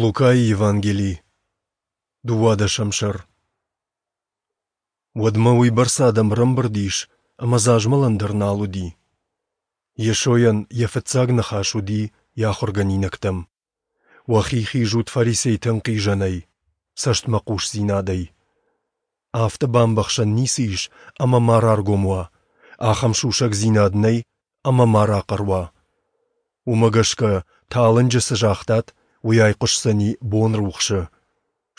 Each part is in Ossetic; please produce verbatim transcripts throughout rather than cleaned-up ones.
Лукайы Евангели, дыууадӕсӕм сӕр. Уӕдмӕ уыйбӕрц адӕм ӕрӕмбырд ис, ӕмӕ дзы азмӕлӕн дӕр нал уыди. Йесойӕн йӕ фыццаг ныхас уыди йӕ ахуыргӕнинӕгтӕм: Уӕхи хизут фарисейты ӕнхъизӕнӕй, цӕстмӕхъусдзинадӕй. Афтӕ бамбӕхсӕн ницы ис, ӕмӕ ма раргом уа, ахӕм сусӕгдзинад нӕй, ӕмӕ ма рахъӕр уа. Уымӕ гӕсгӕ, талынджы цы загътат, уый айхъуысдзӕни бонрухсы.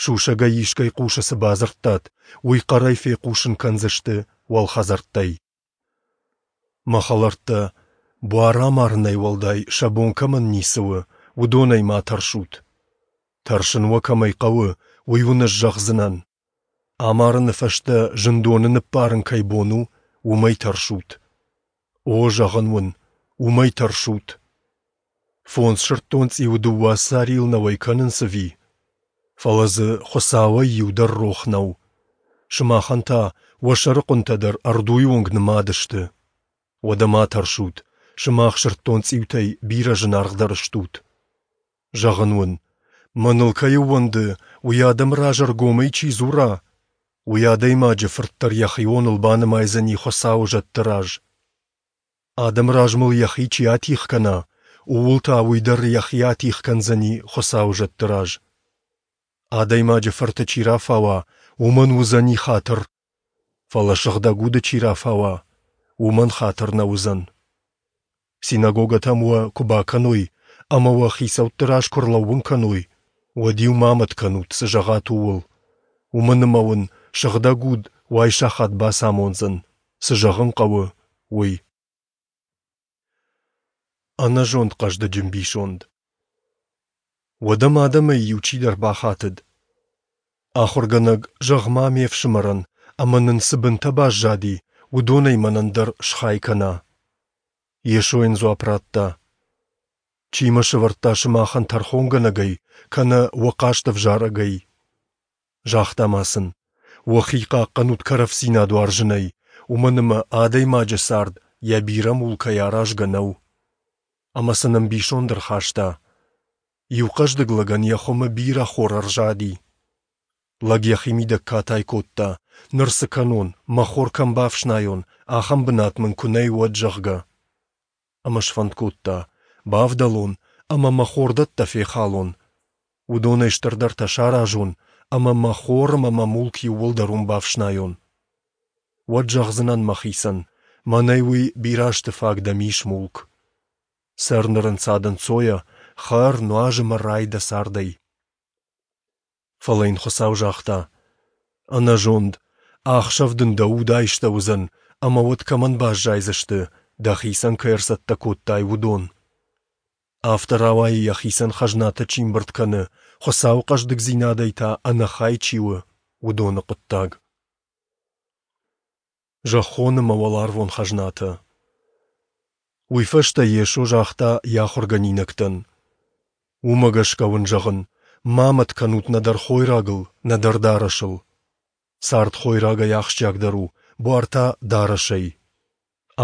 Сусӕгӕй искӕй хъусы цы бадзырдтат, уый хъӕрӕй фехъусын кӕндзысты уӕлхӕдзӕрттӕй. Мӕ хӕлӕрттӕ, буар амарынӕй уӕлдай сӕ бон кӕмӕн ницы у, уыдонӕй ма тӕрсут. Тӕрсын уӕ кӕмӕй хъӕуы, уый уын ӕз зӕгъдзынӕн. Амарыны фӕстӕ зындоны ныппарын кӕй бон у, уымӕй тӕрсут. О, зӕгъын уын, уымӕй тӕрсут. Фондз сырддонцъиуы дыууӕ сарийыл нӕ уӕй кӕнынц ӕви? Фӕлӕ дзы Хуыцауӕй иу дӕр рох нӕу. Сымахӕн та уӕ сӕрыхъуынтӕ дӕр ӕрдуйы онг нымад сты. Уӕдӕ ма тӕрсут, сымах сырддонцъиутӕй бирӕ зынаргъдӕр стут. Зӕгъын уын, мӕныл кӕй ӕууӕнды, уый адӕмы раз ӕргомӕй чи дзура, уый Адӕймаджы Фырт дӕр йӕхионыл банымайдзӕни Хуыцауы зӕдты раз. Адӕмы раз мыл йӕхи чи атигъ кӕна, ууыл та уый дӕр йӕхи атигъ кӕндзӕни Хуыцауы зӕдты раз. Адӕймаджы Фырты чи рафауа, уымӕн уыдзӕни хатыр, фӕлӕ Сыгъдӕг Уды чи рафауа, уымӕн хатыр нӕ уыдзӕн. Синагогӕтӕм уӕ куы бакӕной ӕмӕ уӕ хицӕутты раз куы ӕрлӕууын кӕной, уӕд-иу ма мӕт кӕнут, цы зӕгъат, ууыл, уымӕн ӕмӕ уын Сыгъдӕг Уд уайсахат бацамондзӕн, цы зӕгъын хъӕуы, уый. Ӕнӕзонд хъӕздыджы мбисонд. Уӕд ӕм адӕмӕй иу чидӕр бахатыд: Ахуыргӕнӕг, зӕгъ-ма ме фсымӕрӕн, ӕмӕ нын цы бынтӕ баззади, уыдонӕй мӕнӕн дӕр схай кӕна. Йесо йын дзуапп радта: Чи мӕ сӕвӕрдта сымахӕн тӕрхонгӕнӕгӕй, кӕнӕ уӕ хъаст ӕвзарӕгӕй? Загъта ма сын: Уӕхи хъахъхъӕнут кӕрӕфдзинад уарзынӕй, уымӕн ӕмӕ адӕймаджы цард йӕ бирӕ мулкӕй аразгӕ нӕу. Ӕмӕ сын ӕмбисонд ӕрхаста: Иу хъӕздыг лӕгӕн йӕ хуымы бирӕ хор ӕрзади. Лӕг йӕхимидӕг катай кодта, ныр цы кӕнон, мӕ хор кӕм бафснайон, ахӕм бынат мын куы нӕй, уӕд, зӕгъгӕ. Ӕмӕ сфӕнд кодта, бавдӕлон ӕмӕ мӕ хордӕттӕ фехалон, уыдонӕй стырдӕртӕ саразон ӕмӕ мӕ хор ӕмӕ мӕ мулк иууылдӕр уым бафснайон. Уӕд зӕгъдзынӕн мӕхицӕн, мӕнӕй уый бирӕ азты фаг дӕм ис мулк. Цӕр ныр ӕнцад-ӕнцойӕ, хӕр, нуаз ӕмӕ рай дӕ цардӕй. Фӕлӕ йын Хуыцау загъта: Ӕнӕзонд, ахсӕв дын дӕ уд айстӕуыдзӕн, ӕмӕ уӕд кӕмӕн баззайдзысты, дӕхицӕн кӕй ӕрцӕттӕ кодтай, уыдон? Афтӕ рауайы, йӕхицӕн хӕзнатӕ чи мбырд кӕны, Хуыцауы хъӕздыгдзинадӕй та ӕнӕхай чи у, уыдоны хъуыддаг. Зӕххон ӕмӕ уӕларвон хӕзнатӕ. Уый фӕстӕ Йесо загъта йӕ ахуыргӕнинӕгтӕн: Уымӕ гӕсгӕ уын зӕгъын, ма мӕт кӕнут нӕдӕр хойрагыл, нӕдӕр дарӕсыл. Цард хойрагӕй ахсджиагдӕр у, буар та дарӕсӕй.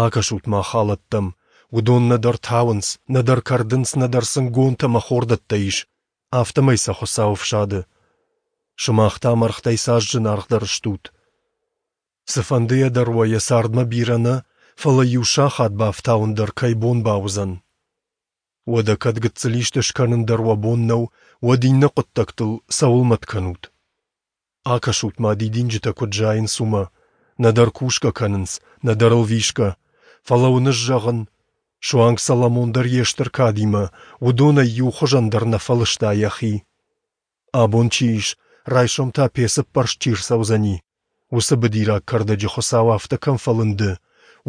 Акӕсут-ма халӕттӕм, уыдон нӕдӕр тауынц, нӕдӕр кӕрдынц, нӕдӕр сын гонтӕ ӕмӕ хордӕттӕ ис, афтӕмӕй сӕ Хуыцау ӕфсады. Сымах та мӕргътӕй цас зынаргъдӕр стут! Цыфӕндыйӕ дӕр уӕ йӕ цардмӕ бирӕ нӕ, фӕлӕ иу сахат бафтауын дӕр кӕй бон бауыдзӕн. Уӕдӕ кӕд гыццыл исты скӕнын дӕр уӕ бон нӕу, уӕд иннӕ хъуыддӕгтыл цӕуыл мӕт кӕнут? Акӕсут-ма, дидинджытӕ куыд зайынц, уымӕ, нӕдӕр кусгӕ кӕнынц, нӕдӕр ӕлвисгӕ, фӕлӕ уын ӕз зӕгъын, суанг Соломон дӕр йе стыр кадимӕ уыдонӕй иу хуызӕн дӕр нӕ фӕлыста йӕхи. Абон чи ис, райсом та пецы ппӕрст чи рцӕудзӕни, уыцы быдираг кӕрдӕджы Хуыцау афтӕ кӕм фӕлынды,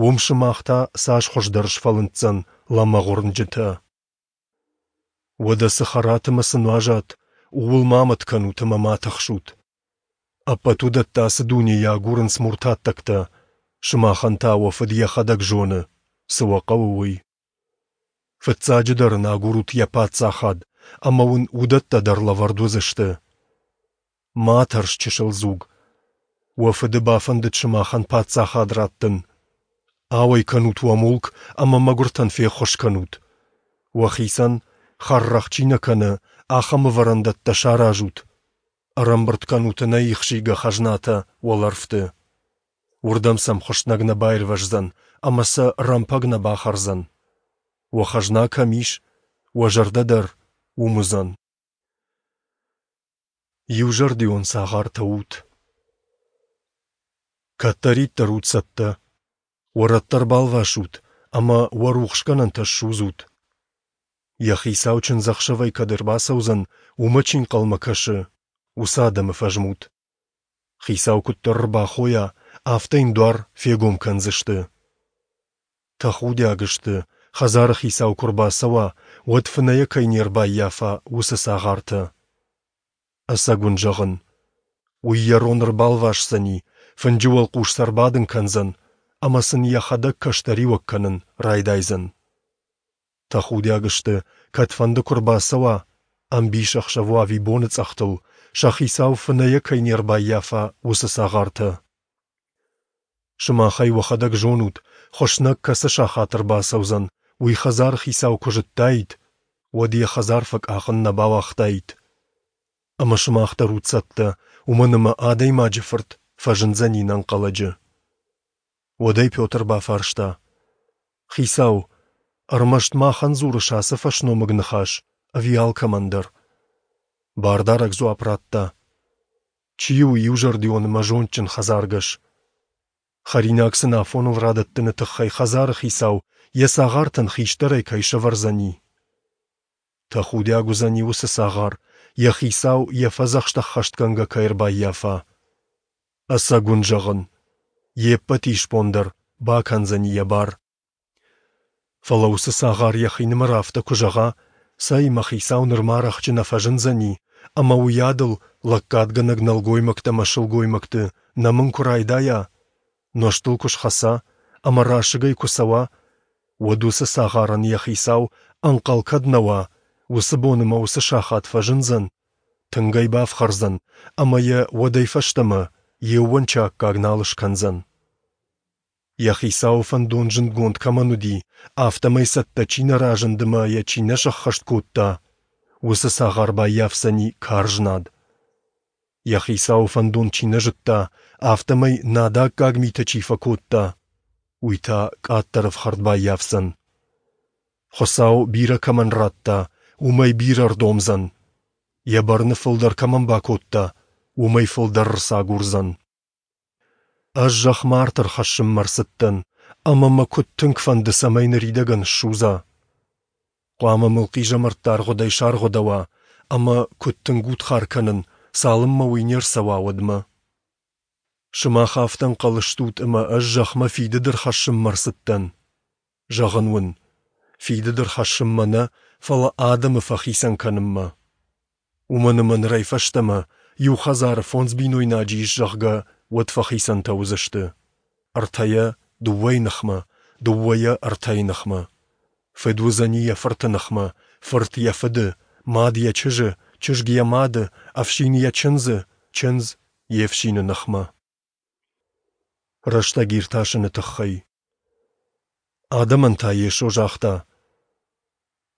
уым сымах та цас хуыздӕр сфӕлынддзӕн лӕмӕгъуырнджытӕ. Уӕдӕ цы хӕрат ӕмӕ цы нуазат, ууыл ма мӕт кӕнут ӕмӕ ма тыхсут. Ӕппӕт уыдӕттӕ ацы дунейы агурынц муртаттӕгтӕ, сымахӕн та уӕ Фыд йӕхӕдӕг зоны, цы уӕ хъӕуы, уый. Фыццаджыдӕр ын агурут йӕ паддзахад, ӕмӕ уын уыдӕттӕ дӕр лӕвӕрд уыдзысты. Ма тӕрс, чысыл дзуг, уӕ Фыды бафӕндыд сымахӕн паддзахад раттын. Ауӕй кӕнут уӕ мулк ӕмӕ мӕгуыртӕн феххуыс кӕнут. Уӕхицӕн, хӕррӕгъ чи нӕ кӕны, ахӕм ӕвӕрӕндӕттӕ саразут. Ӕрӕмбырд кӕнут ӕнӕихсийгӕ хӕзнатӕ уӕлӕрвты. Уырдӕм сӕм хуыснӕг нӕ баирвӕздзӕн ӕмӕ сӕ рӕмпӕг нӕ бахӕрдзӕн. Уӕ хӕзна кӕм ис, уӕ зӕрдӕ дӕр уым уыдзӕн. Иузӕрдион цагъартӕ ут. Кӕддӕриддӕр ут цӕттӕ. Уӕ рӕттӕ ӕрбалвасут ӕмӕ уӕ рухсгӕнӕнтӕ ссудзут. Йӕ хицау чындзӕхсӕвӕй кӕд ӕрбацӕудзӕн, уымӕ чи ӕнхъӕлмӕ кӕсы, уыцы адӕмы фӕзмут. Хицау куыддӕр ӕрбахойа, афтӕ йын дуар фегом кӕндзысты. Тӕхудиаг сты, хӕдзары хицау куы ӕрбацӕуа, уӕд фынӕйӕ кӕй не рбаййафа, уыцы цагъартӕ. Ӕцӕг уын зӕгъын, уый йӕ рон ӕрбалвасдзӕни, фынджы уӕлхъус сӕ ӕрбадын кӕндзӕн ӕмӕ сын йӕхӕдӕг кӕстӕриуӕг кӕнын райдайдзӕн. Тӕхудиаг сты, кӕдфӕнды куы ӕрбацӕуа, ӕмбисӕхсӕв уа ӕви боныцъӕхтыл, сӕ хицау фынӕйӕ кӕй не рбаййафа, уыцы цагъартӕ. Сымах ӕй уӕхӕдӕг зонут, хуыснӕг кӕцы сахат ӕрбацӕудзӕн, уый хӕдзары хицау куы зыдтаид, уӕд йӕ хӕдзар фӕкъахын нӕ бауагътаид. Ӕмӕ сымах дӕр ут цӕттӕ, уымӕн ӕмӕ Адӕймаджы Фырт фӕзындзӕни ӕнӕнхъӕлӕджы. Уӕд ӕй Петр бафарста: Хицау, ӕрмӕст махӕн дзурыс ацы фӕсномыг ныхас ӕви алкӕмӕн дӕр? Бардарӕг дзуапп радта: Чи у иузӕрдион ӕмӕ зондджын хӕдзаргӕс? Хӕринаг сын афоныл радӕттыны тыххӕй хӕдзары хицау йӕ цагъартӕн хистӕрӕй кӕй сӕвӕрдзӕни. Тӕхудиаг уыдзӕни уыцы цагъар, йӕ хицау йӕ фӕдзӕхст ӕххӕстгӕнгӕ кӕй ӕрбаййафа. Ӕцӕг уын зӕгъын, йе ппӕт исбон дӕр бакӕндзӕни йӕ бар. Фӕлӕ уыцы цагъар йӕхинымӕр афтӕ куы зӕгъа, цӕй, мӕ хицау нырма рӕхджы нӕ фӕзындзӕни, ӕмӕ уыйадыл лӕггадгӕнӕг нӕлгоймӕгтӕ ӕмӕ сылгоймӕгты нӕмын куы райдайа, нозтыл куы схӕца ӕмӕ расыгӕй куы цӕуа, уӕд уыцы цагъарӕн йӕ хицау ӕнхъӕл кӕд нӕ уа, уыцы бон ӕмӕ уыцы сахат фӕзындзӕн, тынг ӕй бафхӕрдзӕн ӕмӕ йӕ уӕдӕй фӕстӕмӕ йе ууӕнчы аккаг нал скӕндзӕн. Йӕ хицауы фӕндон зындгонд кӕмӕн уыди, афтӕмӕй цӕттӕ чи нӕ разынд ӕмӕ йӕ чи нӕ сӕххӕст кодта, уыцы цагъар баййафдзӕни карз над. Йӕ хицауы фӕндон чи нӕ зыдта, афтӕмӕй надаккаг митӕ чи фӕкодта, уый та къаддӕр ӕфхӕрд баййафдзӕн. Хуыцау бирӕ кӕмӕн радта, уымӕй бирӕ ӕрдомдзӕн. Йӕ бӕрны фылдӕр кӕмӕн бакодта, уымӕй фылдӕр ӕрцагурдзӕн. Ӕз зӕхмӕ арт ӕрхӕссынмӕ ӕрцыдтӕн, ӕмӕ мӕ куыд тынг фӕнды, цӕмӕй ныридӕгӕн ссудза. Хъуамӕ мыл хъизӕмӕртты аргъуыдӕй саргъуыдӕуа, ӕмӕ куыд тынг удхар кӕнын, цалынмӕ уый не рцӕуа, уӕдмӕ. Сымах афтӕ ӕнхъӕл стут, ӕмӕ ӕз зӕхмӕ фидыд ӕрхӕссынмӕ ӕрцыдтӕн? Зӕгъын уын, фидыд ӕрхӕссынмӕ нӕ, фӕлӕ адӕмы фӕхицӕн кӕнынмӕ. Уымӕн ӕмӕ нырӕй фӕстӕмӕ иу хӕдзары фондз бинойнаджы ис, зӕгъгӕ, уӕд фӕхицӕнтӕ уыдзысты. Ӕртӕйӕ дыууӕйы ныхмӕ, дыууӕйӕ ӕртӕйы ныхмӕ. Фыд уыдзӕни йӕ фырты ныхмӕ, фырт йӕ фыды, мад йӕ чызджы, чызг йӕ мады, ӕфсин йӕ чындзы, чындз йе фсины ныхмӕ. Рӕстӕг иртасыны тыххӕй. Адӕмӕн та Йесо загъта: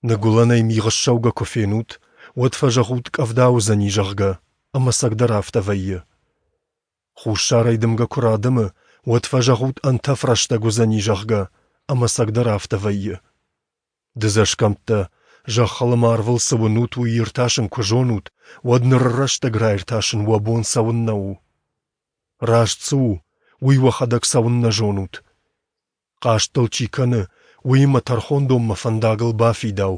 Ныгуылӕнӕй мигъ ссӕугӕ куы фенут, уӕд фӕзӕгъут, къӕвда уыдзӕни, зӕгъгӕ, ӕмӕ ӕцӕгдӕр афтӕ вӕййы. Хуссарӕй дымгӕ куы радымы, уӕд фӕзӕгъут, ӕнтӕф рӕстӕг уыдзӕни, зӕгъгӕ, ӕмӕ ӕцӕгдӕр афтӕ вӕййы. Дыдзӕсгӕмттӕ, зӕххыл ӕмӕ арвыл цы уынут, уый иртасын куы зонут, уӕд ныры рӕстӕг раиртасын уӕ бон цӕуыннӕ у? Раст цы у, уый уӕхӕдӕг цӕуыннӕ зонут? Хъаст дыл чи кӕны, уыимӕ тӕрхондонмӕ фӕндагыл бафидау.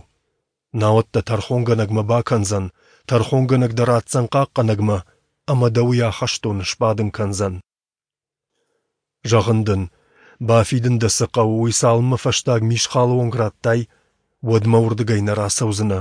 Науӕд дӕ тӕрхонгӕнӕгмӕ бакӕндзӕн, тӕрхонгӕнӕг дӕ ратдзӕн хъахъхъӕнӕгмӕ, ӕмӕ дӕ уый ахӕстоны сбадын кӕндзӕн. Зӕгъын дын, бафидын дӕ цы хъӕуы, уый цалынмӕ фӕстаг мисхалы онг радтай, уӕдмӕ уырдыгӕй нӕ рацӕудзынӕ.